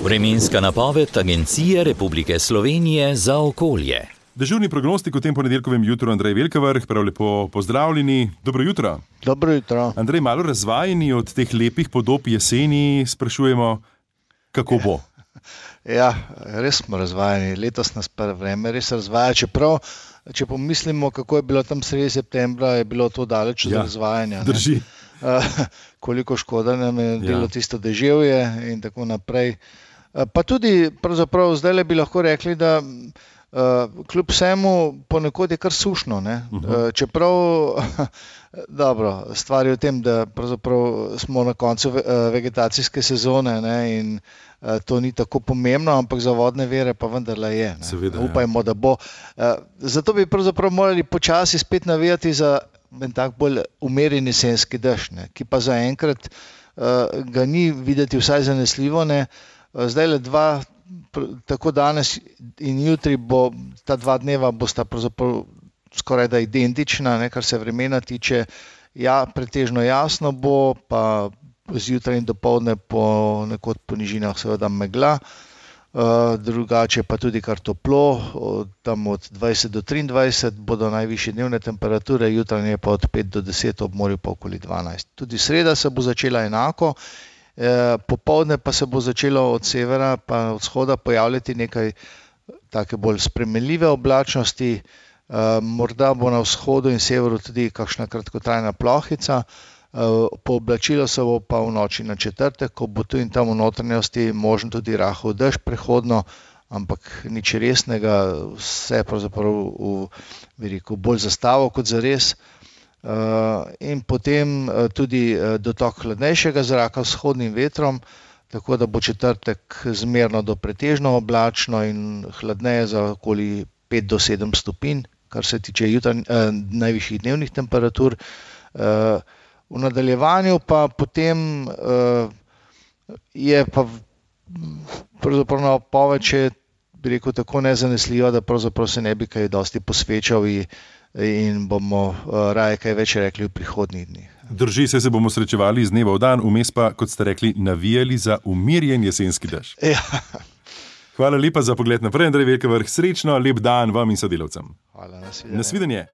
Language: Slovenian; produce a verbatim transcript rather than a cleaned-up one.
Vremenska napoved Agencije Republike Slovenije za okolje. Dežurni prognostik v tem ponedeljkovem jutru Andrej Velkavrh, prav lepo pozdravljeni. Dobro jutro. Dobro jutro. Andrej, malo razvajeni od teh lepih podob jeseni, sprašujemo, kako bo? Ja, res smo razvajeni. Letos nas pa vreme res razvaja, čeprav, če pomislimo, kako je bilo tam sredi septembra, je bilo to daleč od Ja, razvajanja. ne. Drži. Uh, koliko škoda nam je delo Ja. tisto deževje in tako naprej. Uh, pa tudi, pravzaprav, zdajle bi lahko rekli, da uh, kljub vsemu ponekod je kar sušno. Ne? Uh, čeprav, dobro, stvar je v tem, da pravzaprav smo na koncu ve- uh, vegetacijske sezone, ne? In uh, to ni tako pomembno, ampak za vodne vire pa vendarle je. Ne? Seveda, ja. Upajmo, da bo. Uh, zato bi pravzaprav morali počasi spet navijati za en tak bolj umirjen jesenski dež, ne, ki pa zaenkrat uh, ga ni videti vsaj zanesljivo. Ne. Uh, zdaj le dva, pr- tako danes in jutri, bo, ta dva dneva bosta pravzaprav skoraj da identična, ne, kar se vremena tiče. Ja, pretežno jasno bo, pa zjutraj in dopoldne po nekod po nižinah seveda megla. Uh, drugače pa tudi kar toplo, od, tam od dvajset do triindvajset bodo najvišje dnevne temperature, jutranje pa od pet do deset, ob morju pa okoli dvanajst. Tudi sreda se bo začela enako, eh, popoldne pa se bo začelo od severa pa od vzhoda pojavljati nekaj take bolj spremenljive oblačnosti, eh, morda bo na vzhodu in severu tudi kakšna kratkotrajna plohica. Pooblačilo se bo pa v noči na četrtek, ko bo tu in tam v notranjosti možen tudi rahel dež prehodno, ampak nič resnega, vse pravzaprav v, bi rekel, bolj zastavo kot zares. Uh, in potem uh, tudi uh, dotok hladnejšega zraka s vzhodnim vetrom, tako da bo četrtek zmerno do pretežno oblačno in hladneje za okoli pet do sedem stopinj, kar se tiče jutranj, uh, najvišjih dnevnih temperatur. Uh, V nadaljevanju pa potem uh, je pa v- pravzaprav napoved, če bi rekel, tako nezanesljiva, da pravzaprav se ne bi kaj dosti posvečal in, in bomo uh, raje kaj več rekli v prihodnjih dneh. Drži se, se bomo srečevali iz dneva v dan, vmes pa, kot ste rekli, navijali za umirjen jesenski dež. Ja, Hvala lepa za pogled naprej, Andrej Velkavrh. Srečno, lep dan vam in sodelavcem. hvala, nasvidenje. Nasvidenje.